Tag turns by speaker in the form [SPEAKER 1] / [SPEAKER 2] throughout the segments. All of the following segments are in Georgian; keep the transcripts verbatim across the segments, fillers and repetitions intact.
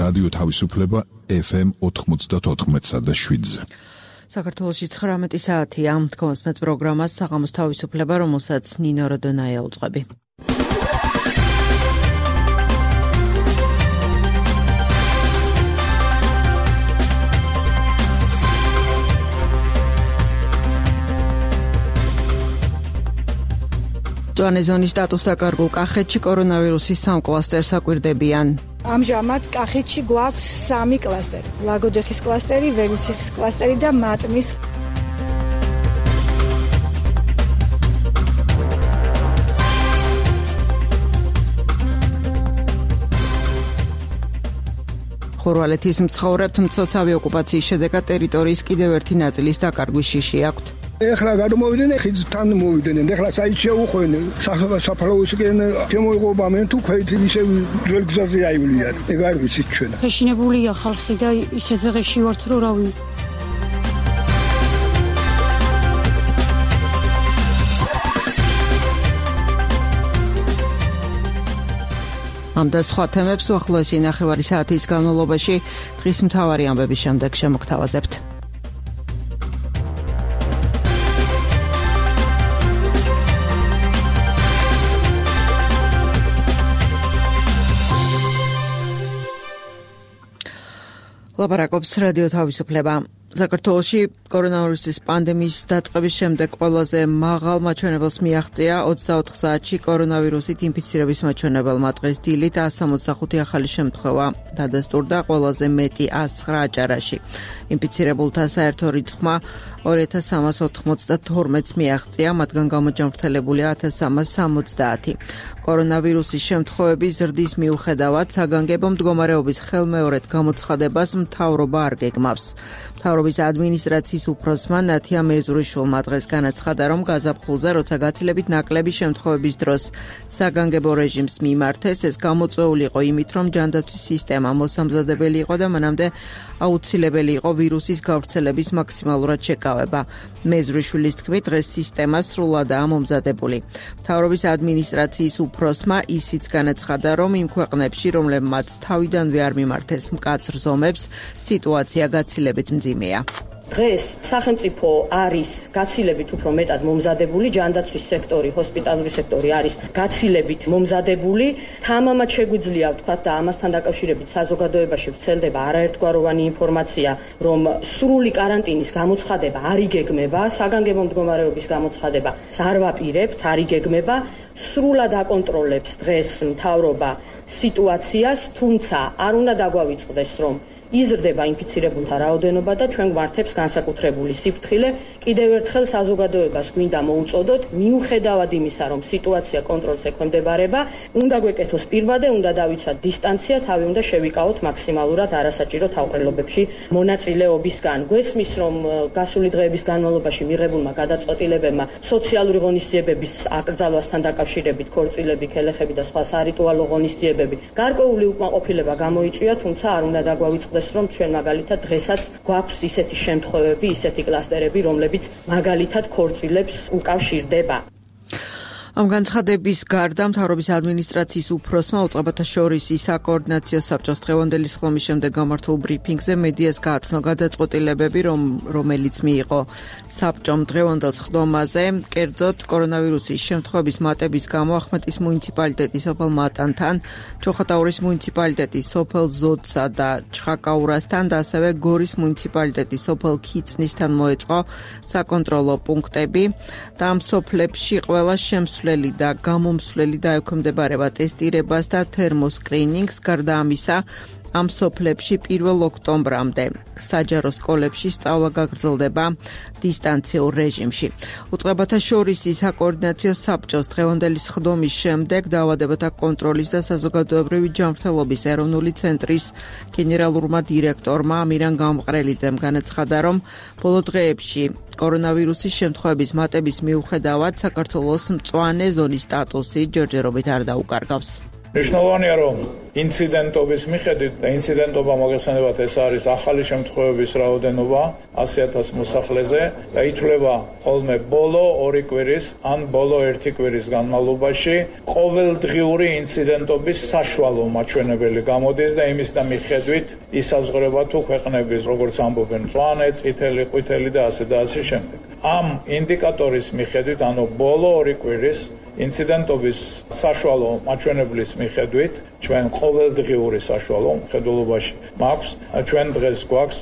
[SPEAKER 1] რადიო თავისუფლება ეფ ემ ოთხმოცდაოთხ და შვიდზე.
[SPEAKER 2] საქართველოში ცხრამეტი საათია. თქოსმეთ პროგრამას საღამოს თავისუფლება, რომელსაც ნინო როდონაია უძღვები. მწვანე ზონის სტატუსს დაკარგულ კახეთში კორონავირუსის სამ კლასტერს აკვირდებიან.
[SPEAKER 3] ამჟამად კახეთში გვაქვს სამი კლასტერი: ლაგოდეხის კლასტერი, ველისიხის კლასტერი და მატნის. ხორვალეთის მცხოვრებთ მცოცავი ოკუპაციის შედეგად ტერიტორიის კიდევ ერთი ნაწილის დაკარგვის შიში აქვთ.
[SPEAKER 4] ეხლა გადმოვიდნენ, ხიდთან მოვიდნენ. ეხლა საით შეუხვენ, საფლავისკენ შემოიღობა მენ თუ ქვეთ ისე ძველ გზაზე აივლიან. ეგ არ ვიცით ჩვენ.
[SPEAKER 5] ეშინებულია ხალხი და ისე ძღეში ვართ რომ რავი.
[SPEAKER 2] ამ და სხვა თემებს უახლოესი ნახევარი საათის განმავლობაში დღის მთავარი ამბების შემდეგ შემოგთავაზებთ. ლაპარაკობს რადიო თავისუფლება. საქართველოში კორონავირუსის პანდემიის დაწყების შემდეგ ყველაზე მაღალ მაჩვენებელს მიაღწია ოცდაოთხ საათში კორონავირუსით ინფიცირების მაჩვენებელმა. დღეს დილით ათს ოცდახუთი ახალი შემთხვევა დადასტურდა, ყველაზე მეტი ათს ცხრა აჭარაში. ინფიცირებულთა საერთო რიცხვმა ორი ათას სამას ოთხმოცდათორმეტს მიაღწია, მათგან გამოჯანმრთელებულია ათას სამას სამოცდაათი. კორონავირუსის შემთხვევების ზრდის მიუხედავად საგანგებო მდგომარეობის ხელმეორედ გამოცხადებას მთავრობა არ გეგმავს. მთავრობის ადმინისტრაციის უფროსმა ნათია მეზურიშვილმა დღეს განაცხადა, რომ გაზაფხულზე, როცა გაცილებით ნაკლები შემთხვევების დროს საგანგებო რეჟიმს მიმართეს, ეს გამოწვეული იყო იმით, რომ ჯანდაცვის სისტემა მოსამზადებელი იყო და მანამდე აუცილებელი იყო ვირუსის გავრცელების მაქსიმალურად შეკავება. მეზურიშვილის თქმით, დღეს სისტემა სრულადაა მომზადებული. მთავრობის ადმინისტრაციის უფროსმა ისიც განაცხადა, რომ იმ ქვეყნებში, რომლებმაც თავიდანვე არ მიმართეს მკაცრ ზომებს, სიტუაცია გაცილებით მძიმეა.
[SPEAKER 6] დღეს სახელმწიფო არის გაცილებით უფრო მეტად მომზადებული, ჯანდაცვის სექტორი, ჰოსპიტალური სექტორი არის გაცილებით მომზადებული. თამამად შეგვიძლია ვთქვათ და ამასთან დაკავშირებით საზოგადოებაში ვრცელდება არაერთგვაროვანი ინფორმაცია, რომ სრული კარანტინის გამოცხადება არ იგეგმება, საგანგებო მდგომარეობის გამოცხადება არ ვაპირებთ, არ იგეგმება. სრულად აკონტროლებს დღეს მთავრობა სიტუაციას, თუმცა არ უნდა დაგვავიწყდეს, რომ იზრდება ინფიცირებულთა რაოდენობა და ჩვენ გვართებს განსაკუთრებული სიფრთხილე. კიდევ ერთხელ საზოგადოებას გვინდა მოუწოდოთ, მიუხედავად იმისა, რომ სიტუაცია კონტროლს ექვემდებარება, უნდა გვეკეთოს პირბადე, უნდა დავიცვათ დისტანცია, თავი უნდა შევიკავოთ მაქსიმალურად არასაჭირო თავყრილობებში მონაწილეობისგან. გვესმის, რომ გასული დღეების განმავლობაში მიღებულმა გადაწყვეტილებებმა სოციალური ღონისძიებების აკრძალვასთან დაკავშირებით ქორწილები, ქელეხები და სხვა სარიტუალო ღონისძიებები გარკვეული უკმაყოფილება გამოიწვია, თუმცა არ უნდა დაგვავიწყდეს, რომ ჩვენ მაგალითად დღესაც გვაქვს ისეთი შემთხვევები, ისეთი კლასტერები, რომლებიც მაგალითად ქორწილებს უკავშირდება.
[SPEAKER 2] ამ განცხადების გარდა მთავრობის ადმინისტრაციის უფროსმა უწყებათა შორის საკოორდინაციო საბჭოს დღევანდელი სხდომის შემდეგ გამართულ ბრიფინგზე მედიას გააცნო გადაწყვეტილებები, რომ რომელიც მიიღო საბჭომ დღევანდელ სხდომაზე, კერძოდ კორონავირუსის შემთხვევების მატების გამო ახმეტის მუნიციპალიტეტის სოფელ მატანთან, ჩოხატაურის მუნიციპალიტეტის სოფელ ზოდსა და ჩხაკაურასთან და ასევე გორის მუნიციპალიტეტის სოფელ ქიცნისთან მოეწყო საკონტროლო პუნქტები და ამ სოფლებში ყველა შემსვლელი და გამომსვლელი დაექვემდებარება ტესტირებას და თერმოსკრინინგს. გარდა ამისა, ამ სოფლებში პირველ ოქტომბრამდე საჯარო სკოლებში სწავლა გაგრძელდება დისტანციურ რეჟიმში. უწყებათა შორის საკოორდინაციო საბჭოს დღევანდელი სხდომის შემდეგ დაავადებათა კონტროლის და საზოგადოებრივი ჯანმრთელობის ეროვნული ცენტრის გენერალურმა დირექტორმა ამირან გამყრელიძემ განაცხადა, რომ ბოლო დღეებში კორონავირუსის შემთხვევების მატების მიუხედავად საქართველოს მწვანე ზონის სტატუსი ჯერჯერობით არ დაუკარგავს.
[SPEAKER 7] მნიშვნელოვანია, რომ ინციდენტობის მიხედვით და ინციდენტობა მოგეხსენებათ ეს არის ახალი შემთხვევების რაოდენობა ასი ათას მოსახლეზე და ითვლება ხოლმე ბოლო ორი კვირის ან ბოლო ერთი კვირის განმავლობაში ყოველდღიური ინციდენტობის საშუალო მაჩვენებელი გამოდის და იმის და მიხედვით ისაზღვრება თუ ქვეყნების როგორც ამბობენ მწვანე, წითელი, ყვითელი და ასე და ასე შემდეგ. ამ ინდიკატორის მიხედვით, ანუ ბოლო ორი კვირის ინციდენტობის საშუალო მაჩვენებლის მიხედვით, ჩვენ ყოველდღიური საშუალო მხედველობაში მაქვს, ჩვენ დღეს გვაქვს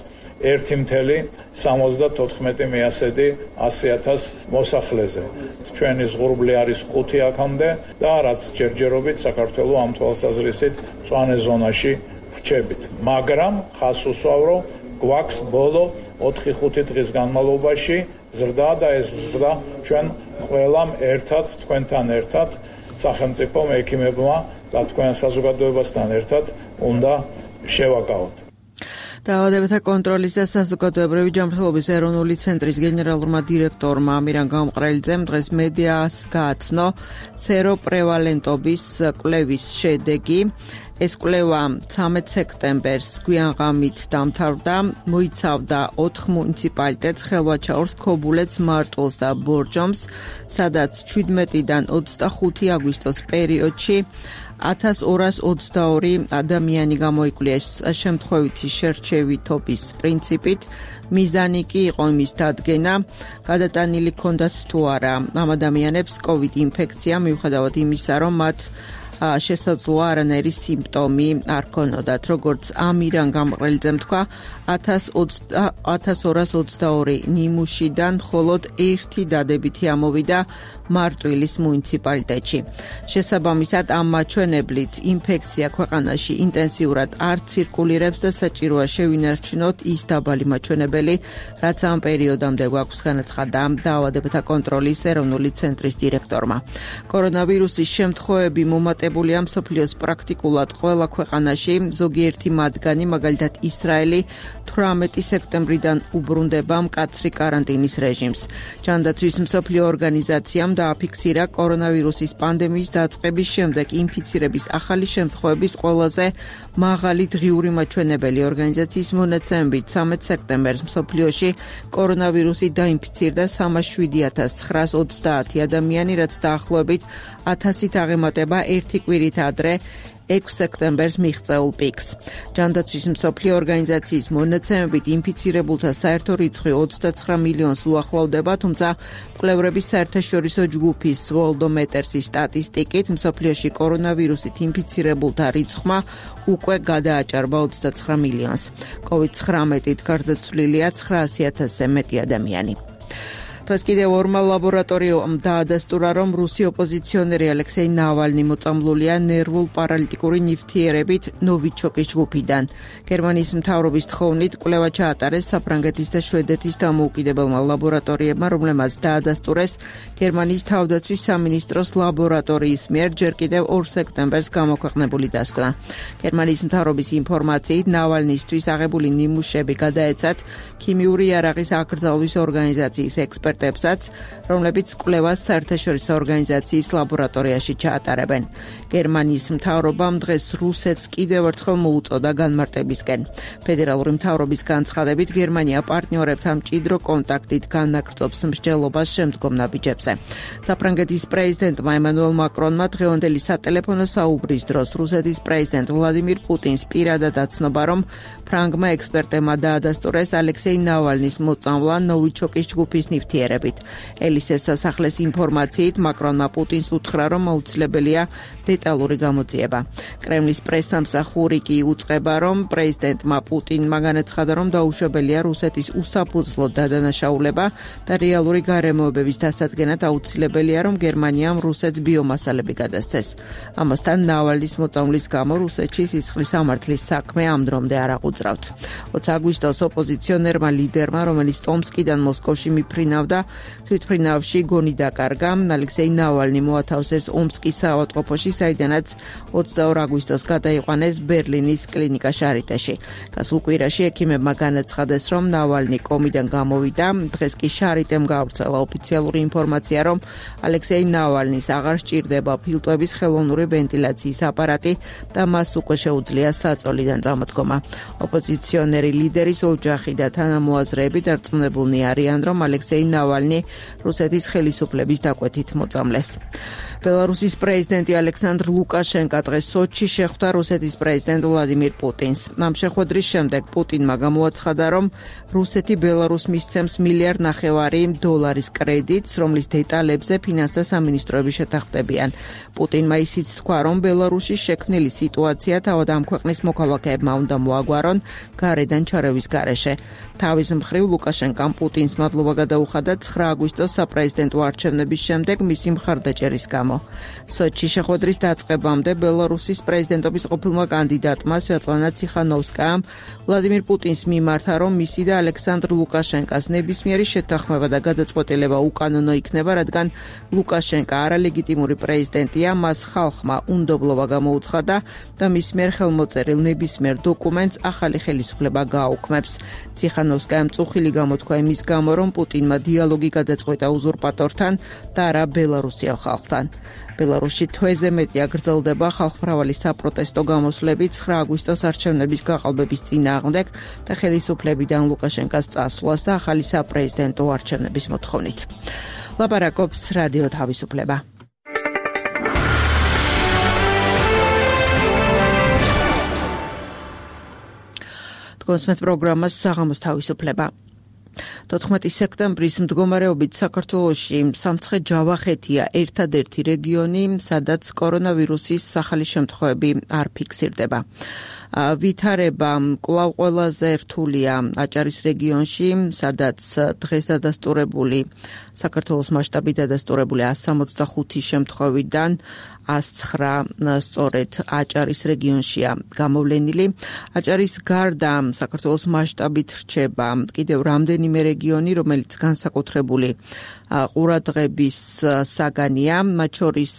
[SPEAKER 7] ერთი ათეული სამოცდათოთხმეტი მეასედი ასი ათას მოსახლეზე. ჩვენი ზღურბლი არის ხუთი აქამდე და რაც ჯერჯერობით საქართველოს ამ თვალსაზრისით მწვანე ზონაში ვრჩებით. მაგრამ ხას უსვავ, რომ გვაქვს ბოლო ოთხი ხუთი დღის განმავლობაში ზრდა და ეს ზრდა ჩვენ ყველამ ერთად, თქვენთან ერთად, სახელმწიფო მექიმებმა და თქვენ საზოგადოებასთან ერთად უნდა შევაკავოთ.
[SPEAKER 2] დაავადებათა კონტროლის და საზოგადოებრივი ჯანმრთელობის ეროვნული ცენტრის გენერალურმა დირექტორმა ამირან გამყრელიძემ დღეს მედიას გააცნო სეროპრევალენტობის კვლევის შედეგი. ეს კვლევა ცამეტ სექტემბერს გვიანღამით დამთავრდა, მოიცავდა ოთხ მუნიციპალიტეტს, ხელვაჩაურს, ქობულეთს, მარტვილს და ბორჯომს, სადაც შვიდმეტიდან ოცდახუთი აგვისტოს პერიოდში ათას ორას ოცდაორი ადამიანი გამოიკვლიეს შემთხვევითი შერჩევითობის პრინციპით. მიზანი კი იყო იმის დადგენა, გადატანილი ჰქონდათ თუ არა ამ ადამიანებს კოვიდ ინფექცია, მიუხედავად იმისა, რომ მათ შესაძლოა არანაირი სიმპტომი არ ქონოდათ. როგორც ამირან გამყრელიძემ თქვა, ათას ორას ოცდაორი ნიმუშიდან მხოლოდ ერთი დადებითი ამოვიდა მარტვილის მუნიციპალიტეტში. შესაბამისად, ამ მაჩვენებლით ინფექცია ქვეყანაში ინტენსიურად არ ცირკულირებს და საჭიროა შევინარჩუნოთ ის დაბალი მაჩვენებელი, რაც ამ პერიოდამდე გვაქვს, განაცხადა დაავადებათა კონტროლის ეროვნული ცენტრის დირექტორმა. კორონავირუსის შემთხვევები მომატებულია მსოფლიოს პრაქტიკულად ყველა ქვეყანაში, ზოგიერთი მათგანი, მაგალითად ისრაელი, თვრამეტი სექტემბრიდან უბრუნდება მკაცრი კარანტინის რეჟიმს. ჯანდაცვის მსოფლიო ორგანიზაციამ დააფიქსირა კორონავირუსის პანდემიის დაწყების შემდეგ ინფიცირების ახალი შემთხვევების ყველაზე მაღალი დღიური მაჩვენებელი. ორგანიზაციის მონაცემებით ცამეტ სექტემბერს მსოფლიოში კორონავირუსით დაინფიცირდა სამას შვიდი ათას ცხრაას ოცდაათი ადამიანი, რაც დაახლოებით ათასით აღემატება ერთი კვირით ადრე ექვსი სექტემბერს მიღწეულ პიკს. ჯანდაცვის მსოფლიო ორგანიზაციის მონაცემებით ინფიცირებულთა საერთო რიცხვი ოცდაცხრა მილიონს უახლოვდება, თუმცა მკვლევრების საერთაშორისო ჯგუფის ვოლდომეერსის სტატისტიკით მსოფლიოში კორონავირუსით ინფიცირებულთა რიცხვმა უკვე გადააჭარბა ოცდაცხრა მილიონს. კოვიდ ცხრამეტით გარდაცვლილია ცხრაასი ათასზე მეტი ადამიანი. დღეს კიდევ ორმა ლაბორატორიამ დაადასტურა, რომ რუსი ოპოზიციონერი ალექსეი ნავალნი მოწამლულია ნერვულ პარალიტიკური ნივთიერებით ნოვიჩოკის ჯგუფიდან. გერმანიის მთავრობის თხოვნით კვლევა ჩაატარეს საფრანგეთის და შვედეთის დამოუკიდებელმა ლაბორატორიებმა, რომლებმაც დაადასტურეს გერმანიის თავდაცვის სამინისტროს ლაბორატორიის მიერ ჯერ კიდევ ორ სექტემბერს გამოქვეყნებული დასკვნა. გერმანიის მთავრობის ინფორმაციით ნავალნისთვის აღებული ნიმუშები გადაეცათ ქიმიური იარაღის აკრძალვის ორგანიზაციის ექსპერტებსაც, რომლებიც კვლევას საერთაშორისო ორგანიზაციის ლაბორატორიაში ჩაატარებენ. გერმანიის მთავრობამ დღეს რუსეთს კიდევ ერთხელ მოუწოდა განმარტებისკენ. ფედერალური მთავრობის განცხადებით, გერმანია პარტნიორებთან მჭიდრო კონტაქტით განაგრძობს მსჯელობას შემდგომ ნაბიჯებზე. საფრანგეთის პრეზიდენტმა ემანუელ მაკრონმა დღევანდელი სატელეფონო საუბრის დროს რუსეთის პრეზიდენტ ვლადიმირ პუტინს პირადად აცნობა, რომ ფრანგმა ექსპერტებმა დაადასტურეს ალექსეი ნავალნის მოწამვლა ნოვიჩოკის ჯგუფის ნივთიერებით. ელისეს სასახლის ინფორმაციით მაკრონმა პუტინს უთხრა, რომ აუცილებელია დეტალური გამოძიება. კრემლის პრესსამსახური კი უწყება, რომ პრეზიდენტმა პუტინმა განაცხადა, რომ დაუშვებელია რუსეთის უსაფუძვლო დადანაშაულება და რეალური გარემოებების დასადგენად აუცილებელია, რომ გერმანიამ რუსეთს ბიომასალები გადასცეს. ამასთან ნავალნის მოწამვლის გამო რუსეთში სისხლის სამართლის საქმე ამ დრომდე არ აღვწრავთ. ოცი აგვისტოს ოპოზიციონერმა ლიდერმა, რომელიც ტომსკიდან მოსკოვში მიფრინავდა, და თვითმფრინავში გონი დაკარგა. ალექსეი ნავალნი მოათავსეს ომსკის საავადმყოფოში, საიდანაც ოცდაორ აგვისტოს გადაიყვანეს ბერლინის კლინიკა შარიტეში. გასულ კვირაში ექიმებმა განაცხადეს, რომ ნავალნი კომიდან გამოვიდა. დღეს კი შარიტემ გაავრცელა ოფიციალური ინფორმაცია, რომ ალექსეი ნავალნის აღარ სჭირდება ფილტვების ხელოვნური ვენტილაციის აპარატი და მას უკვე შეუძლია საწოლიდან წამოდგომა. ოპოზიციონერი ლიდერის ოჯახი და თანამოაზრეები დარწმუნებულნი არიან, რომ ალექსეი ნავალნი რუსეთის ხელისუფლების დაკვეთით მოწამლეს. ბელარუსის პრეზიდენტი ალექსანდრ ლუკაშენკა დღეს სოჩში შეხვდა რუსეთის პრეზიდენტ ვლადიმირ პუტინს. ამ შეხვედრის შემდეგ პუტინმა გამოაცხადა, რომ რუსეთი ბელარუსს მისცემს მილიარდ ნახევარი დოლარის კრედიტს, რომლის დეტალებზე ფინანსთა სამინისტროები შეთანხმდებიან. პუტინმა ისიც თქვა, რომ ბელარუსში შექმნილი სიტუაცია თავად ამ ქვეყნის მოქალაქეებმა უნდა მოაგვარონ გარედან ჩარევის გარეშე. თავის მხრივ ლუკაშენკამ პუტინს მადლობა გადაუხადა ცხრა აგვისტოს საპრეზიდენტო არჩევნების შემდეგ მისი მხარდაჭერის გამო. სოჩში შეხვედრის დაწყებამდე ბელარუსის პრეზიდენტობის ყოფილმა კანდიდატმა სვეტლანა ციხანოვსკაამ ვლადიმირ პუტინს მიმართა, რომ მისი და ალექსანდრ ლუკაშენკას ნებისმიერი შეთანხმება და გადაწყვეტილება უკანონო იქნება, რადგან ლუკაშენკა არალეგიტიმური პრეზიდენტია, მას ხალხმა უნდობლობა გამოუცხადა და მის მიერ ხელმოწერილ ნებისმიერ დოკუმენტს ახალი ხელისუფლება გააუქმებს. ციხანოვსკაამ წუხილი გამოთქვა იმის გამო, რომ პუტინმა დიალოგი გადაწყვეტა უზურპატორთან და არა ბელარუსიელ ხალხთან. ბელარუსში თვეზე მეტი აგრძელდება ხალხმრავალი საპროტესტო გამოსვლები ცხრა აგვისტოს არჩევნების გაყალბების წინააღმდეგ და ხელისუფლებიდან ლუკაშენკას წასვლას და ახალი საპრეზიდენტო არჩევნების მოთხოვნით. ლაპარაკობს რადიო თავისუფლება. კონსმეთ პროგრამას საღამოს თავისუფლება. თოთხმეტი სექტემბრის მდგომარეობით საქართველოში სამცხე-ჯავახეთია ერთადერთი რეგიონი, სადაც კორონავირუსის სახალი შემთხვევები არ ფიქსირდება. ვითარება კვლავ ყველაზე რთულია აჭარის რეგიონში, სადაც დღეს დადასტურებული საქართველოს მასშტაბით დადასტურებული εκατს სამოცდახუთი შემთხვევიდან εκατს ცხრა სწორედ აჭარის რეგიონშია გამოვლენილი. აჭარის გარდა საქართველოს მასშტაბით რჩება კიდევ რამდენიმე რეგიონი, რომელიც განსაკუთრებული ყურადღების საგანია, მათ შორის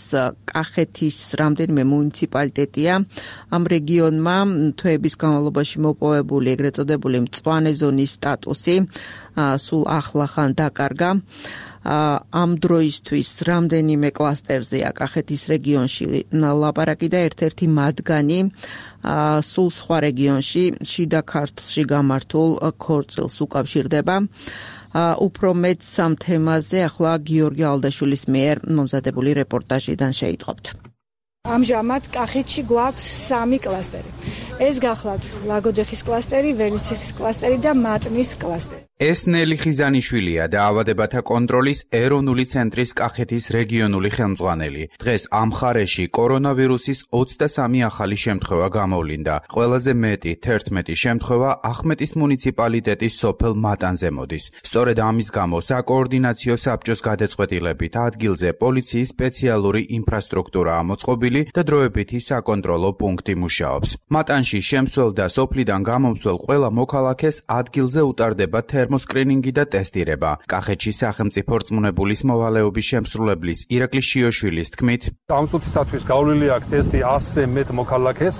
[SPEAKER 2] კახეთის რამდენიმე მუნიციპალიტეტია. ამ რეგიონმა თვეების განმავლობაში მოპოვებული ეგრეთ წოდებული მწვანე ზონის სტატუსი სულ ახლახან დაკარგა. ამ დროისთვის რამდენიმე კლასტერზეა კახეთის რეგიონში ლაპარაკი და ერთ-ერთი მათგანი სულ სხვა რეგიონში, შიდა ქართლში გამართულ ქორწილს უკავშირდება. უფრო მეტ სამ თემაზე ახლა გიორგი ალდაშვილის მიერ მომზადებული რეპორტაჟიდან შეიტყობთ.
[SPEAKER 8] ამჟამად კახეთში გვაქვს სამი კლასტერი. ეს გახლავთ ლაგოდეხის კლასტერი, ველისციხის კლასტერი და მატნის კლასტერი.
[SPEAKER 9] ეს ნელი ხიზანიშვილია დაავადებათა კონტროლის ეროვნული ცენტრის კახეთის რეგიონული ხელმძღვანელი. დღეს ამ მხარეში კორონავირუსის ოცდასამი ახალი შემთხვევა გამოვლინდა. ყველაზე მეტი თერთმეტი შემთხვევა ახმეტის მუნიციპალიტეტის სოფელ მატანზე მოდის. სწორედ ამის გამო საკოორდინაციო საბჭოს გადაწყვეტილებით ადგილზე პოლიციის სპეციალური ინფრასტრუქტურაა მოწყობილი და დროებითი საკონტროლო პუნქტი მუშაობს. მატანში შემსვლელ და სოფლიდან გამომსვლელ ყველა მოქალაქეს ადგილზე უტარდება თერმოსკრინინგი და ტესტირება. კახეთში სახელმწიფო რწმუნებულის მოვალეობის შემსრულებლის ირაკლი შიოშვილის თქმით,
[SPEAKER 10] ამ წუთისათვის გავლილი აქვს ტესტი ასზე მეტ მოქალაქეს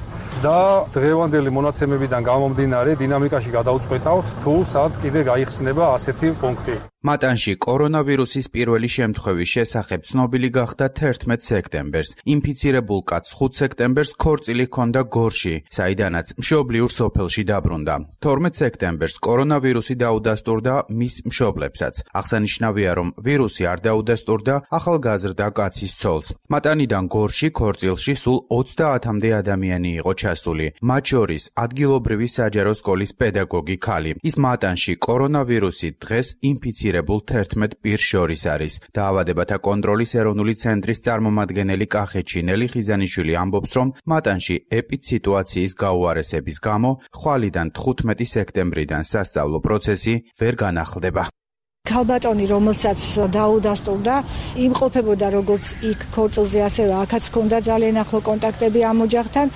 [SPEAKER 10] და დღევანდელი მონაცემებიდან გამომდინარე დინამიკაში გადაუწყვეტავთ თუ სად კიდე გაიხსნება ასეთი პუნქტი.
[SPEAKER 9] მატანში კორონავირუსის პირველი შემთხვევის შესახებ ცნობილი გახდა თერთმეტ სექტემბერს. ინფიცირებულ კაცს ხუთ სექტემბერს ქორწილი ჰქონდა გორში, საიდანაც მშობლიურ სოფელში დაბრუნდა. თორმეტ სექტემბერს კორონავირუსი დაუდასტურდა მის მშობლებსაც. აღსანიშნავია, რომ ვირუსი არ დაუდასტურდა ახალგაზრდა კაცის ცოლს. მატანიდან გორში ქორწილში სულ ოცდაათამდე ადამიანი იყო ჩასული, მათ შორის ადგილობრივი საჯარო სკოლის პედაგოგი ქალი. ის მატანში კორონავირუსით დღეს ინფიცირებულ თერთმეტ პირს შორის არის. დაავადებათა კონტროლის ეროვნული ცენტრის წარმომადგენელი კახეთში ნელი ხიზანიშვილი ამბობს, რომ მატანში ეპიდსიტუაციის გაუარესების გამო ხვალიდან თხუთმეტი სექტემბრიდან სასწავლო პროცესი ვერ განახლდება.
[SPEAKER 8] ქალბატონი, რომელსაც დაუდასტურდა, იმყოფებოდა როგორც იქ ქორწილზე, ასევე აქაც ჰქონდა ძალიან ახლო კონტაქტები ამ ოჯახთან.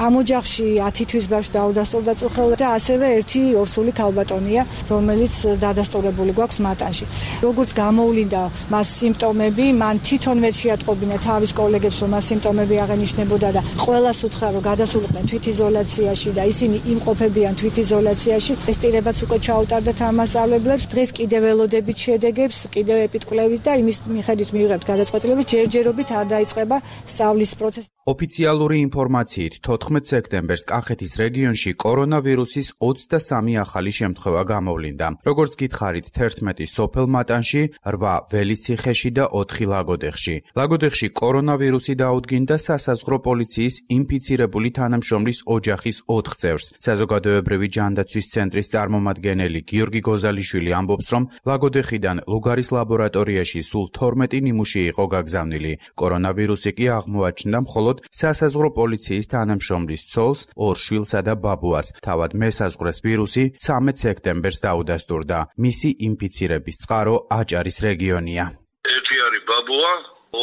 [SPEAKER 8] ამ ოჯახში ათი თვის ბავშვს დაუდასტურდა წუხელ და ასევე ერთი ორსული ქალბატონია, რომელიც დადასტურებული გვაქვს მატანში. როგორც გამოვლინდა მას სიმპტომები, მან თვითონვე შეატყობინა თავის კოლეგებს, რომ მას სიმპტომები აღენიშნებოდა და ყველას უთხრა, რომ გადასულიყვნენ თვითიზოლაციაში და ისინი იმყოფებიან თვითიზოლაციაში. ტესტირებაც უკვე ჩაუტარდათ ამ მასწავლებლებს. დღეს კიდევ ველოდებით შედეგებს, კიდევ ეპიდკვლევის და იმის მიხედვით მივიღებთ გადაწყვეტილებას, ჯერჯერობით არ დაიწყება სწავლის პროცესი.
[SPEAKER 9] ოფიციალური ინფორმაციით თოთხმეტ სექტემბერს კახეთის რეგიონში კორონავირუსის ოცდასამი ახალი შემთხვევა გამოვლინდა. როგორც გითხარით, თერთმეტი სოფელ მატანში, რვა ველისციხეში და ოთხი ლაგოდეხში. ლაგოდეხში კორონავირუსი დაუდგინდა სასაზღვრო პოლიციის ინფიცირებული თანამშრომლის ოჯახის ოთხ წევრს. საზოგადოებრივი ჯანდაცვის ცენტრის წარმომადგენელი გიორგი გოზალიშვილი ამბობს, რომ ლაგოდეხიდან ლუგარის ლაბორატორიაში სულ თორმეტი ნიმუში იყო გაგზავნილი. კორონავირუსი კი აღმოაჩნდა მხოლოდ სასაზღვრო პოლიციის თანამშრომლის ცოლს, ორ შვილსა და ბაბუას. თავად მესაზღვრეს ვირუსი ცამეტ სექტემბერს დაუდასტურდა. მისი ინფიცირების წყარო აჭარის რეგიონია.
[SPEAKER 11] ერთი არის ბაბუა,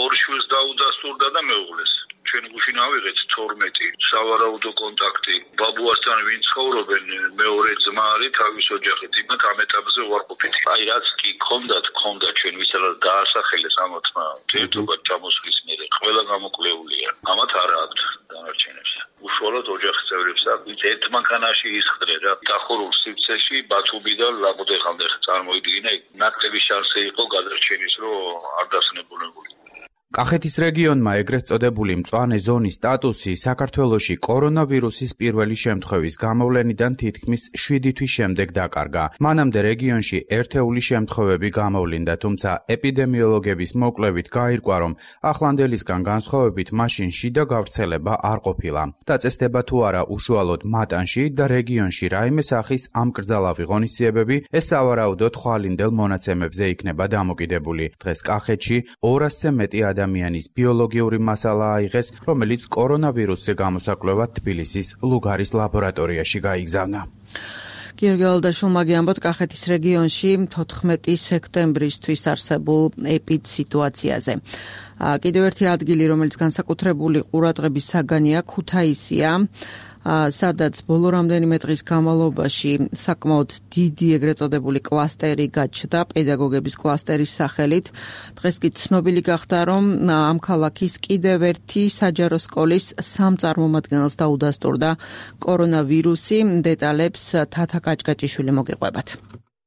[SPEAKER 11] ორ შვილს დაუდასტურდა და მეუღლეს. ჩვენ გუშინ ავიღეთ თორმეტი სავარაუდო კონტაქტი ბაბუასთან, ვინც ცხოვრობენ, მეორე ძმა არის თავის ოჯახით, იმათ ამ ეტაპზე უარყოფით. აი რაც კი ქონდათ, ქონდა ჩვენ ვისაც დაასახელეს ამათმა ერთობად ჩამოსვლის მერე, ყველა გამოკვლეულია. ამათ არ აქვთ დანარჩენებს. უშუალოდ ოჯახის წევრებს აქვთ ერთ მანქანაში ისხდნენ რა. დახურულ სივრცეში ბათუმიდან ლაგოდეხამდე წარმოიდგინა, ნაკლები შანსი იყო გადარჩენის, რომ არ დასნებულებულიყო.
[SPEAKER 9] კახეთის რეგიონმა ეგრეთ წოდებული მწვანე ზონის სტატუსი საქართველოში კორონავირუსის პირველი შემთხვევის გამოვლენიდან თითქმის შვიდი თვის შემდეგ დაკარგა. მანამდე რეგიონში ერთეული შემთხვევები გამოვლინდა, თუმცა ეპიდემიოლოგების მოკვლევით გაირკვა, რომ ახლანდელისგან განსხვავებით მაშინ შიდა გავრცელება არ ყოფილა. დაწესდება თუ არა უშუალოდ მატანში და რეგიონში რაიმე სახის ამკრძალავი ღონისძიებები, ეს სავარაუდოდ ხვალინდელ მონაცემებზე იქნება დამოკიდებული. დღეს კახეთში ორასზე მეტი ადამიანის ბიოლოგიური მასალა აიღეს, რომელიც კორონავირუსზე გამოსაკვლევად თბილისის ლუგარის ლაბორატორიაში გაიგზავნა.
[SPEAKER 2] გიორგი ალდაშვილმა გიამბოთ კახეთის რეგიონში თოთხმეტი სექტემბრისთვის არსებულ ეპიდსიტუაციაზე. კიდევ ერთი ადგილი, რომელიც განსაკუთრებული ყურადღების საგანია, ქუთაისია, სადაც ბოლო რამდენიმე დღის განმავლობაში საკმაოდ დიდი ეგრეთ წოდებული კლასტერი გაჩნდა პედაგოგების კლასტერის სახელით. დღეს კი ცნობილი გახდა, რომ ამ ქალაქის კიდევ ერთი საჯარო სკოლის სამ წარმომადგენელს დაუდასტურდა კორონავირუსი. დეტალებს თათა კაჭკაჭიშვილი მოგიყვებათ.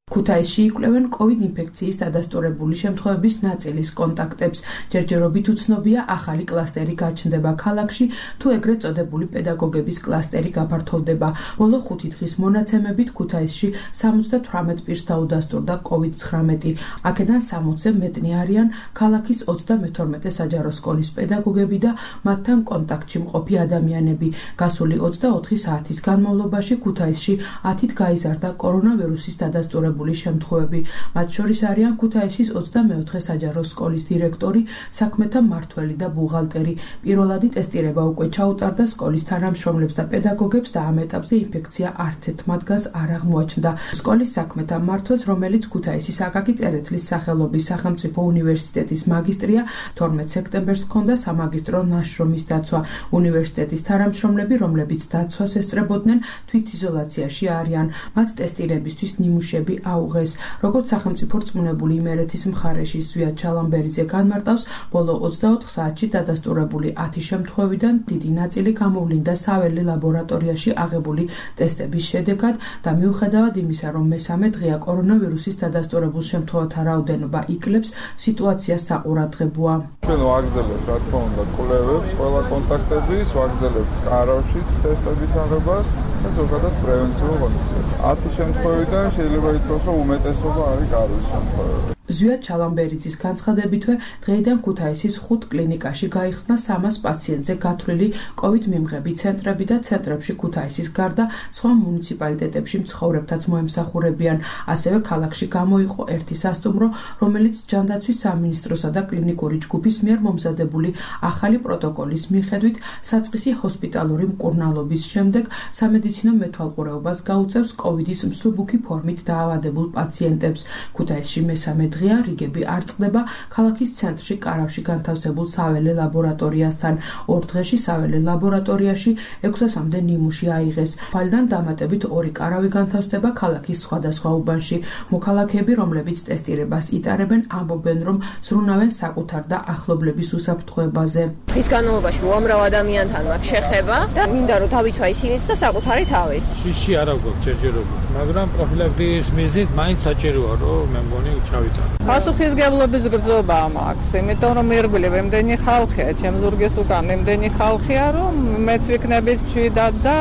[SPEAKER 12] ქუთაისში იკვლევენ კოვიდ ინფექციის დადასტურებული შემთხვევების ნაწილის კონტაქტებს. ჯერჯერობით უცნობია ახალი კლასტერი გაჩნდება ქალაქში, თუ ეგრეთ წოდებული პედაგოგების კლასტერი გაფართოვდება. ბოლო ხუთი დღის მონაცემებით ქუთაისში სამოცდათვრამეტ პირს დაუდასტურდა კოვიდ ცხრამეტი. აქედან სამოცზე მეტნი არიან ქალაქის ოცდამეთორმეტე საჯარო სკოლის პედაგოგები და მათთან კონტაქტში მყოფი ადამიანები. გასული ოცდაოთხი საათის განმავლობაში ქუთაისში ათით გაიზარდა კორონავირუსის დადასტურებული შემთხვევები. მათ შორის არიან ქუთაისის ოცდამეოთხე საჯარო სკოლის დირექტორი, საქმეთა მმართველი და ბუღალტერი. პირველადი ტესტირება უკვე ჩაუტარდა სკოლის თანამშრომლებს და პედაგოგებს და ამ ეტაპზე ინფექცია არც ერთ მათგანს არ აღმოაჩნდა. სკოლის საქმეთა მმართველს, რომელიც ქუთაისის აკაკი წერეთლის სახელობის სახელმწიფო უნივერსიტეტის მაგისტრია, თორმეტ სექტემბერს ჰქონდა სამაგისტრო ნაშრომის დაცვა. უნივერსიტეტის თანამშრომლები, რომლებიც დაცვას ესწრებოდნენ, თვითიზოლაციაში არიან. მათ ტესტირებისთვის ნიმუშები აუღეს. როგორც სახელმწიფო რწმუნებული იმერეთის მხარეში ზვიად ჩალამბერიძე განმარტავს, ბოლო ოცდაოთხ საათში დადასტურებული ათი შემთხვევიდან დიდი ნაწილი გამოვლინდა საველე ლაბორატორიაში აღებული ტესტების შედეგად და მიუხედავად იმისა, რომ მესამე დღეა კორონავირუსის დადასტურებულ შემთხვევათა რაოდენობა იკლებს, სიტუაცია საყურადღებოა.
[SPEAKER 13] ჩვენ ვაგრძელებთ, რა თქმა უნდა, კვლევებს, ყველა კონტაქტების, ვაგრძელებთ კარავშიც ტესტების აღებას და ზოგადად პრევენციულ ღონისძიებებს. ათი შემთხვევიდან შეიძლება ითქვას, რომ უმეტესობა არის კარვის შემთხვევები.
[SPEAKER 12] ზვიად ჩალამბერიძის განცხადებითვე დღეიდან ქუთაისის ხუთ კლინიკაში გაიხსნა სამას პაციენტზე გათვლილი კოვიდ მიმღები ცენტრები და ცენტრებში ქუთაისის გარდა სხვა მუნიციპალიტეტებში მცხოვრებთაც მოემსახურებიან. ასევე ქალაქში გამოიყო ერთი სასტუმრო, რომელიც ჯანდაცვის სამინისტროსა და კლინიკური ჯგუფის მიერ მომზადებული ახალი პროტოკოლის მიხედვით საწყისი ჰოსპიტალური მკურნალობის შემდეგ სამედიცინო მეთვალყურეობას გაუწევს კოვიდის მსუბუქი ფორმით დაავადებულ პაციენტებს. ქუთაისში მესამე დღეა რიგები არ წყდება ქალაქის ცენტრში კარავში განთავსებულ საველე ლაბორატორიასთან. ორ დღეში საველე ლაბორატორიაში ექვსასამდე ნიმუში აიღეს. ხვალიდან დამატებით ორი კარავი განთავსდება ქალაქის სხვადასხვა უბანში. მოქალაქეები, რომლებიც ტესტირებას იტარებენ, ამბობენ, რომ ზრუნავენ საკუთარ და ახლობლების უსაფრთხოებაზე.
[SPEAKER 14] ის განმავლობაში უამრავ ადამიანთან მაქვს შეხება და მინდა რომ დავიცვა ისინიც და საკუთარი თავის.
[SPEAKER 15] შიში არ აქვს ჯერჯერობით, მაგრამ პროფილაქტიკის მიზნით მაინც საჭიროა რომ მე მგონი ჩავიტანო.
[SPEAKER 16] პასუხისმგებლობის გრძნობა მაქვს, იმიტომ რომ ირგვლივ ემდენი ხალხია, ჩემ ზურგის უკან ემდენი ხალხია, რომ მეც ვიქნები მშვიდად და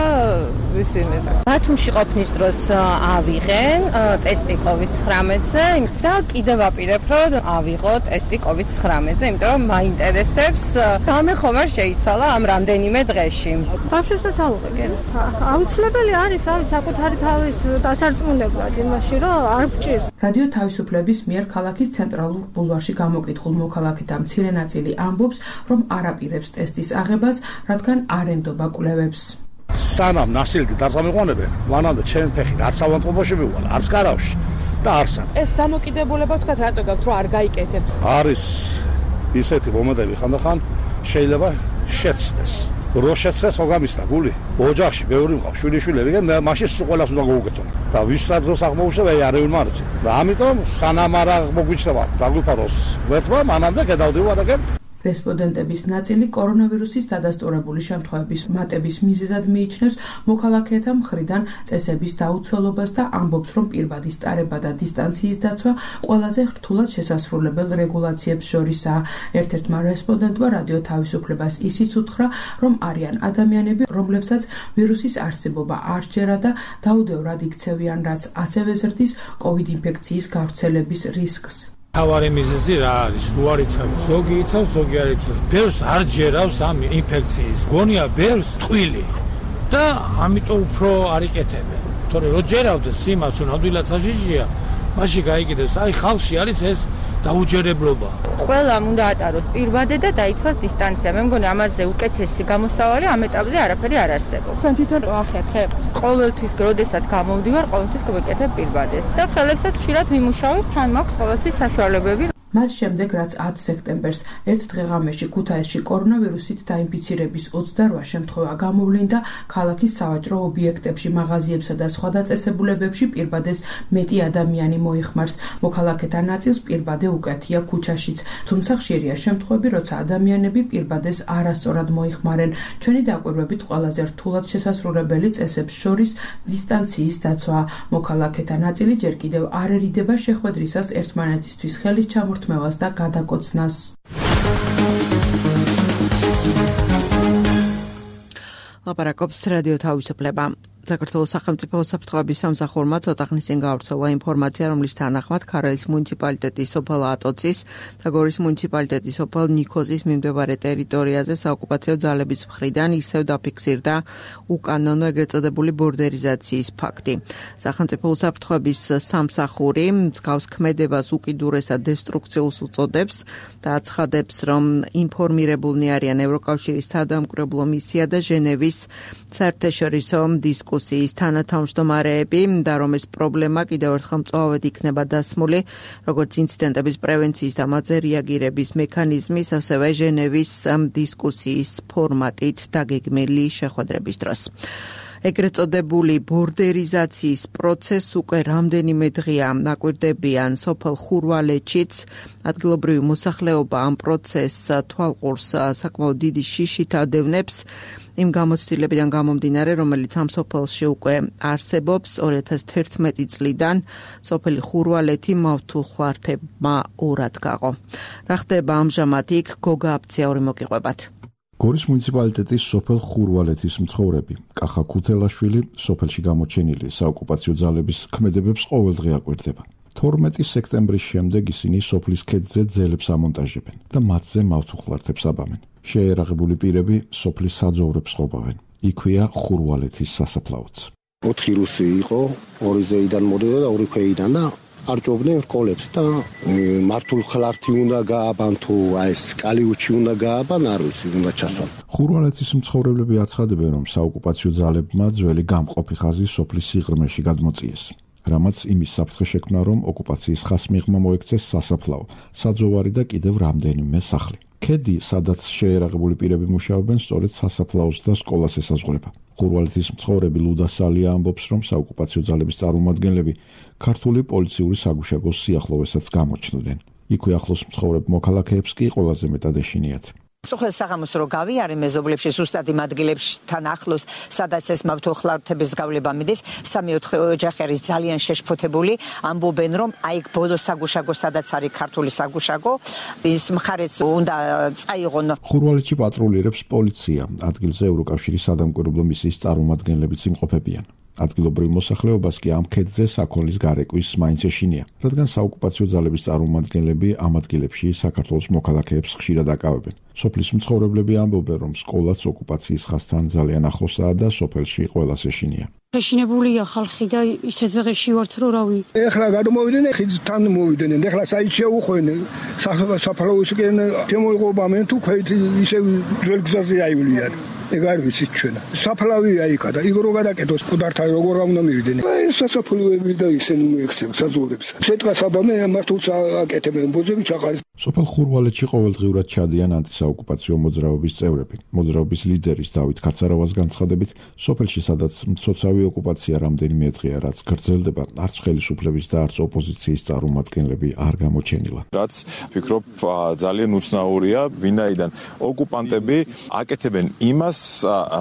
[SPEAKER 16] ისინიც.
[SPEAKER 14] ბათუმში ყოფნის დროს ავიღენ ტესტი კოვიდ ცხრამეტზე და კიდევ ვაპირებ რომ ავიღო ტესტი კოვიდ ცხრამეტზე, იმიტომ რომ მაინტერესებს რამე ხომ არ შეიცვალა ამ რამდენიმე დღეში.
[SPEAKER 5] ბავშვებს ალუღებენ. აუცილებელი არის, რავი, საკუთარი თავის დასარწმუნებლად იმაში, რომ არ გჭირს.
[SPEAKER 12] რადიო თავისუფლების მიერ ქალაქის ცენტრალურ ბულვარში გამოკითხულ მოქალაქეთა მცირე ნაწილი ამბობს, რომ არ აპირებს ტესტის აღებას, რადგან არ ენდობა კვლევებს.
[SPEAKER 17] სანამ ნასილკი დაწამიყვანებენ, მანამდე ჩემი ფეხი არც ავანტყოფოში მივვალა, არც კარავში და არც ამ.
[SPEAKER 18] ეს დამოკიდებულება თქვა რატო გაქვთ, რომ არ გაიკეთებთ?
[SPEAKER 17] არის ისეთი მომენტები ხანდახან შეიძლება შეცდეს. რო შეცდესოგამისთა გული. ოჯახში ბევრი მყავს, შვილიშვილები და მაშინ სულ ყველას უნდა გაუკეთო. და ვისაც დროს აღმოუჩნდა აი არ ევიმარცი. და ამიტომ სანამ არ მოგვიჩნდება დაგვიფაროს ვერთმა, მანამდე გადავდივარაგებ.
[SPEAKER 12] რესპონდენტების ნაწილი კორონავირუსის დადასტურებული შემთხვევების მატების მიზეზად მიიჩნევს მოქალაქეთა მხრიდან წესების დაუცველობას და ამბობს, რომ პირბადის ტარება და დისტანციის დაცვა ყველაზე რთულად შესასრულებელ რეგულაციებს შორისაა. ერთ-ერთმა რესპონდენტმა რადიო თავისუფლებას ისიც უთხრა, რომ არიან ადამიანები, რომლებსაც ვირუსის არსებობა არ სჯერა და დაუდევრად იქცევიან, რაც ასევე ზრდის კოვიდ ინფექციის გავრცელების რისკს.
[SPEAKER 15] თავარი მიზეზი რა არის? რო არ იცავ, ზოგი იცავს, ზოგი არ იცავს. ბევრს არ ჯერავს ამ ინფექციის. გონია ბევრს ტყვილი. და ამიტომ უფრო არ იკეთებენ. თორე რო ჯერავდეს იმას, რომ ადვილად საჟიჟია, მაშინ გაიგებს, აი ხალხში არის ეს დაუჯერებლობა.
[SPEAKER 14] ყველამ უნდა ატაროს პირბადე და დაიცვას დისტანცია. მე მგონი ამაზე უკეთესი გამოსავალი ამ ეტაპზე არაფერი არ არსებობს.
[SPEAKER 18] თქვენ თვითონ ახერხებთ?
[SPEAKER 14] ყოველთვის, როდესაც გამოვდივარ, ყოველთვის გვეკეთებ პირბადეს. და ხელებსაც ხშირად ვიმუშავებ, თან მაქვს ყოველთვის საშუალებები.
[SPEAKER 12] მას შემდეგ, რაც ათი სექტემბერს ერთ დღეღამეში ქუთაისში კორონავირუსით დაინფიცირების ოცდარვა შემთხვევა გამოვლინდა, ქალაქის სავაჭრო ობიექტებში, მაღაზიებსა და სხვა დაწესებულებებში პირბადეს მეტი ადამიანი მოიხმარს. მოქალაქეთა ნაწილს პირბადე უკეთია ქუჩაშიც, თუმცა ხშირია შემთხვევები, როცა ადამიანები პირბადეს არასწორად მოიხმარენ. ჩვენი დაკვირვებით ყველაზე რთულად შესასრულებელი წესებს შორის დისტანციის დაცვა. მოქალაქეთა ნაწილი ჯერ კიდევ არ ერიდება შეხვედრისას ერთმანეთისთვის ხელის ჩამორთმევას და გადაკოცნას.
[SPEAKER 2] ლაპარაკობს რადიო თავისუფლება. საქართველოს სახელმწიფო უსაფრთხოების სამსახურმა ცოტა ხნის წინ გავრცელა ინფორმაცია, რომლის თანახმად ქარალის მუნიციპალიტეტის სოფელ ატოცის და გორის მუნიციპალიტეტის სოფელ ნიქოზის მიმდებარე ტერიტორიაზე საოკუპაციო ძალების მხრიდან ისევ დაფიქსირდა უკანონო ეგრეთ წოდებული ბორდერიზაციის ფაქტი. სახელმწიფო უსაფრთხოების სამსახური მსგავს ქმედებას უკიდურესად დესტრუქციულს უწოდებს და აცხადებს, რომ ინფორმირებულნი არიან ევროკავშირის სადამკვირვებლო მისია და ჟენევის საერთაშორისო დისკუსია დისკუსიის თანათავმჯდომარეები და რომ ეს პრობლემა კიდევ ერთხელ მწვავედ იქნება დასმული, როგორც ინციდენტების პრევენციის და მათზე რეაგირების მექანიზმის, ასევე ჟენევის დისკუსიის ფორმატით დაგეგმილი შეხვედრების დროს. ეგრეთ წოდებული ბორდერიზაციის პროცესს უკვე რამდენიმე დღეა ნაკვირდებიან სოფელ ხურვალეთშიც. ადგილობრივი მოსახლეობა ამ პროცესს თვალყურს საკმაოდ დიდი შიშით ადევნებს. იმ გამოცდილებიდან გამომდინარე, რომელიც ამ სოფელში უკვე არსებობს ორი ათას თერთმეტი წლიდან, სოფელი ხურვალეთი მავთულხლართებმა ორად გაყო. რა ხდება ამჟამად იქ? გოგა აფციაური მოგიყვებათ.
[SPEAKER 19] გორის მუნიციპალიტეტის სოფელ ხურვალეთის მცხოვრები კახა ქუთელაშვილი სოფელში გამოჩენილი საოკუპაციო ძალების ქმედებებს ყოველდღე აკვირდება. თორმეტი სექტემბრის შემდეგ ისინი სოფლის ქედზე ძელებს ამონტაჟებენ და მათზე მავთუხლართებს აბამენ. შეერაღებული პირები სოფლის საძოვრებს ყოფავენ. იქვეა ხურვალეთის სასაფლაოც.
[SPEAKER 20] ოთხი რუსი იყო, ორი ზეიდან მოდოდა და ორი ქვეიდან და არჭობდნენ რკოლებს და მართულ ხლართი უნდა გააბან თუ აი ეს კალიუჩი უნდა გააბან, არ ვიცი, უნდა ჩასვან.
[SPEAKER 19] ხურვალეთის მცხოვრებლები აცხადებენ, რომ საოკუპაციო ძალებმა ძველი გამყოფი ხაზი სოფლის სიღრმეში გადმოწიეს. რამაც იმის საფრთხე შექმნა, რომ ოკუპაციის ხასმიღმა მოექცეს სასაფლაო, საძოვარი და კიდევ რამდენიმე სახლი. ქედი, სადაც შეერაღებული პირები მუშაობენ, სწორედ სასაფლაოს და სკოლას ესაზღვრება. ხურვალეთის მცხოვრები ლუდა სალია ამბობს, რომ საოკუპაციო ძალების წარმომადგენლები ქართული პოლიციური საგუშაგოს სიახლოვესაც გამოჩნდნენ. იქვე ახლოს მცხოვრებ მოქალაქეებს კი ყველაზე მეტად ეშინიათ.
[SPEAKER 21] სოხელ საღამოს რო გავიარე მეზობლებში, ზუსტად იმ ადგილებთან ახლოს, სადაც ეს მავთუხლართების გავლება მიდის, სამი-ოთხი ოჯახი არის ძალიან შეშფოთებული, ამბობენ, რომ აი ბოლო საგუშაგო, სადაც არის ქართული საგუშაგო, ის მხარეც უნდა წაიღონ.
[SPEAKER 19] ხურვალეთში პატრულირებს პოლიცია, ადგილზე ევროკავშირის სადამკვირვებლო მისიის წარმომადგენლებიც იმყოფებიან. ადგილობრივ მოსახლეობას კი ამ ქედზე საქონლის გარეკვის მაინც ეშინია, რადგან საოკუპაციო ძალების წარმომადგენლები ამ ადგილებში საქართველოს მოქალაქეებს ხშირად აკავებენ. სოფლის მცხოვრებლები ამბობენ, რომ სკოლაც ოკუპაციის ხაზთან ძალიან ახლოსაა და სოფელში ყველას ეშინია.
[SPEAKER 22] ეშინებულია ხალხი და ისეთ დღეში ვართ, რომ რავი.
[SPEAKER 4] ეხლა გადმოვიდნენ, ხიდთან მოვიდნენ, ეხლა საით შეუხვენ, საფალაოსკენ შემოიღობამენ თუ ქვეთ ისე ძველ გზაზე აივლიან. ეგ არ ვიცით ჩვენ. საფლავია იქა და იგრო გადაკეთოს ყუდართან როგორ უნდა მივიდნენ. ეს სასაფლავები და ისინი მოექცევს საძოვრებს. შეტყას აბამე მართულს აკეთებენ ბოძები ჩაყარეს.
[SPEAKER 19] სოფელ ხურვალეთში ყოველდღიურად ჩადიან ანტისაოკუპაციო მოძრაობის წევრები. მოძრაობის ლიდერის დავით კაცარავას განცხადებით, სოფელში სადაც მცოცავი ოკუპაცია რამდენიმე დღეა, რაც გრძელდება, არც ხელისუფლების და არც ოპოზიციის წარმომადგენლები არ გამოჩენილა.
[SPEAKER 23] რაც ვფიქრობ ძალიან უცნაურია, ვინაიდან ოკუპანტები აკეთებენ იმას,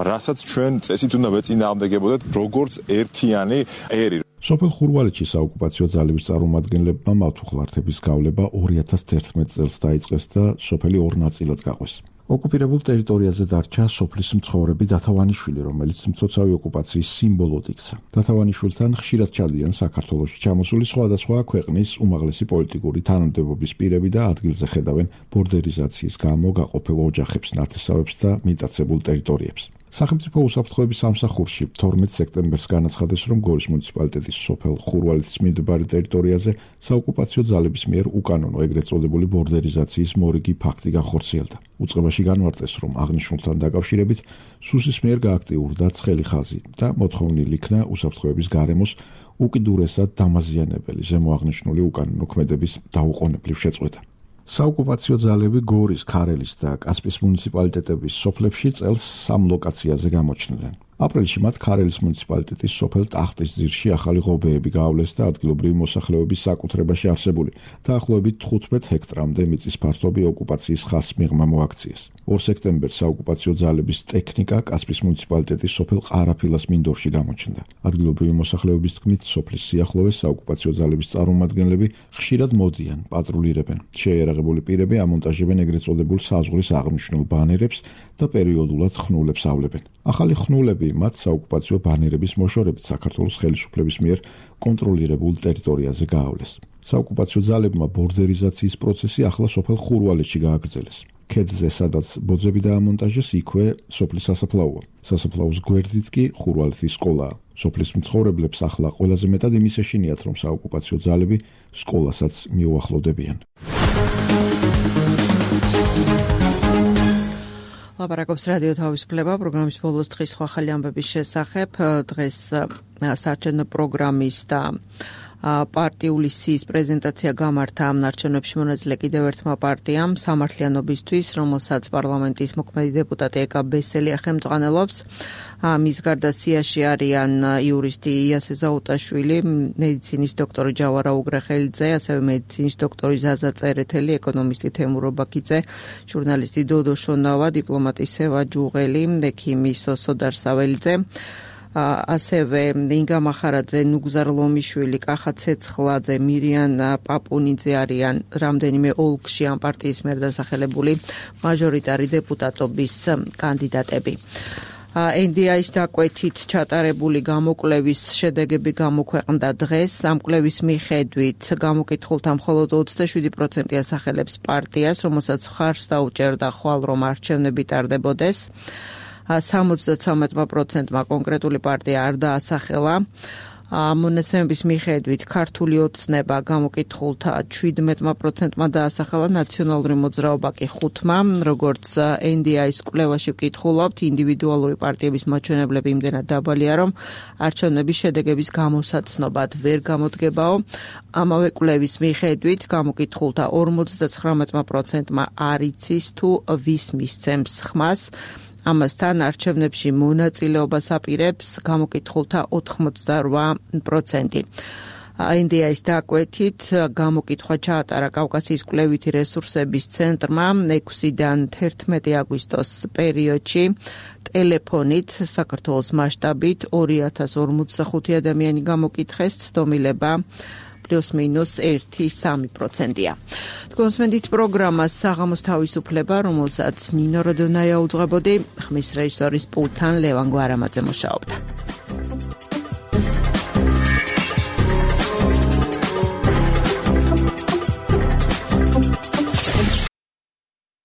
[SPEAKER 23] რასაც ჩვენ წესით უნდა ვეწინააღმდეგებოდეთ, როგორც ერთიანი ერი.
[SPEAKER 19] სოფელ ხურვალეთში საოკუპაციო ძალების წარმომადგენლებმა მავთუხლართების გავლება ორი ათას ერთმეტ წელს დაიწყეს და სოფელი ორ ნაწილად გაყვეს. ოკუპირებულ ტერიტორიაზე დარჩა სოფლის მცხოვრები დათავანიშვილი, რომელიც მცოცავი ოკუპაციის სიმბოლოდ იქცა. დათავანიშვილთან ხშირად ჩადიან საქართველოში ჩამოსული სხვადასხვა ქვეყნის უმაღლესი პოლიტიკური თანამდებობის პირები და ადგილზე ხედავენ ბორდერიზაციის გამო გაყოფილ ოჯახებს, ნათესავებს და მიტაცებულ ტერიტორიებს. სახელმწიფო უსაფრთხოების სამსახურში თორმეტ სექტემბერს განაცხადეს, რომ გორის მუნიციპალიტეტის სოფელ ხურვალეთის მიმდებარე ტერიტორიაზე საოკუპაციო ძალების მიერ უკანონო ეგრეთ წოდებული ბორდერიზაციის მორიგი ფაქტი განხორციელდა. უწყებაში განმარტეს, რომ აღნიშნულთან დაკავშირებით სუსის მიერ გააქტიურდა ცხელი ხაზი და მოთხოვნილი იქნა უსაფრთხოების გარემოს უკიდურესად დამაზიანებელი ზემოაღნიშნული უკანონო ქმედების დაუყოვნებლივ შეწყვეტა. საოკუპაციო ძალები გორის, ქარელის და კასპიის მუნიციპალიტეტების სოფლებში წელს სამ ლოკაციაზე გამოჩნდნენ. აპრილში მათ ქარელის მუნიციპალიტეტის სოფელ ტახტისძირში ახალი ღობეები გაავლეს და ადგილობრივი მოსახლეობის საკუთრებაში არსებული დაახლოებით თხუთმეტ ჰექტრამდე მიწის ფართობი ოკუპაციის ხაზს მიღმა მოაქციეს. ორ სექტემბერს საოკუპაციო ძალების ტექნიკა კასპიის მუნიციპალიტეტის სოფელ ყარაფილას მინდორში გამოჩნდა. ადგილობრივი მოსახლეობის თქმით, სოფლის სიახლოვეს საოკუპაციო ძალების წარმომადგენლები ხშირად მოდიან, პატრულირებენ. შეიარაღებული პირები ამონტაჟებენ ეგრეთ წოდებულ საზღვრის აღნიშნულ ბანერებს და პერიოდულად ხნულებს ავლებენ. ახალი ხნულები მათ საოკუპაციო ბანერების მოშორებით საქართველოს ხელისუფლების მიერ კონტროლირებულ ტერიტორიაზე გაავლეს. საოკუპაციო ძალებმა ბორდერიზაციის პროცესი ახლა სოფელ ხურვალეთში გააგრძელეს. ქედზე, სადაც ბოძები დაამონტაჟეს, იქვე სოფლის სასაფლაოა. სასაფლაოს გვერდით კი ხურვალეთის სკოლაა. სოფლის მცხოვრებლებს ახლა ყველაზე მეტად იმის ეშინიათ, რომ საოკუპაციო ძალები სკოლასაც მიუახლოვდებიან.
[SPEAKER 2] ლაპარაკობს რადიო თავისუფლება პროგრამის ბოლოს დღის სხვა ახალი ამბების შესახებ. დღეს საარჩევნო პროგრამის და პარტიული სიის პრეზენტაცია გამართა ამ არჩევნებში მონაწილე კიდევ ერთმა პარტიამ სამართლიანობისთვის, რომელსაც პარლამენტის მოქმედი დეპუტატი ეკა ბესელია ხელმძღვანელობს. მის გარდა სიაში არიან იურისტი იასე ზაუტაშვილი, მედიცინის დოქტორი ჯავარა უგრეხელიძე, ასევე მედიცინის დოქტორი ზაზა წერეთელი, ეკონომისტი თემურო ბაქიძე, ჟურნალისტი დოდო შონავა, დიპლომატი სევა ჯუღელი, ექიმი სოსო დარსაველიძე, ასევე ინგა მახარაძე, ნუგზარ ლომიშვილი, კახა ცეცხლაძე, მირიან პაპუნიძე არიან რამდენიმე ოლქში ამ პარტიის მიერ დასახელებული მაჟორიტარი დეპუტატობის კანდიდატები. ენ დი აის დაკვეთით ჩატარებული გამოკვლევის შედეგები გამოქვეყნდა დღეს. ამ კვლევის მიხედვით გამოკითხულთა მხოლოდ ოცდაშვიდი პროცენტი ასახელებს პარტიას, რომელსაც მხარს დაუჭერდა ხვალ რომ არჩევნები ტარდებოდეს. სამოცდათვრამეტ პროცენტმა კონკრეტული პარტია არ დაასახელა. მონაცემების მიხედვით ქართული ოცნება გამოკითხულთა შვიდმეტ პროცენტმა დაასახელა, ნაციონალური მოძრაობა კი ხუთმა. როგორც ენ დი აის კვლევაში ვკითხულობთ, ინდივიდუალური პარტიების მაჩვენებლები იმდენად დაბალია, რომ არჩევნების შედეგების გამოსაცნობად ვერ გამოდგებაო. ამავე კვლევის მიხედვით გამოკითხულთა ორმოცდათხრამეტ პროცენტმა არ იცის თუ ვის მისცემს ხმას. ამასთან არჩევნებში მონაწილეობას აპირებს გამოკითხულთა ოთხმოცდარვა პროცენტი. ენ დი აის დაკვეთით გამოკითხვა ჩაატარა კავკასიის კვლევითი რესურსების ცენტრმა ექვსიდან თერთმეტი აგვისტოს პერიოდში ტელეფონით საქართველოს მასშტაბით ორი ათას ორმოცდახუთი ადამიანი გამოკითხეს, ცდომილება პლუს მინუს ერთი სამი პროცენტია. კონსმენდით პროგრამა საღამოს თავისუფლება, რომელსაც ნინო როდონაია უძღვებოდი, ხმის რეჟისორის პულტთან ლევან გვარამაძე მუშაობდა.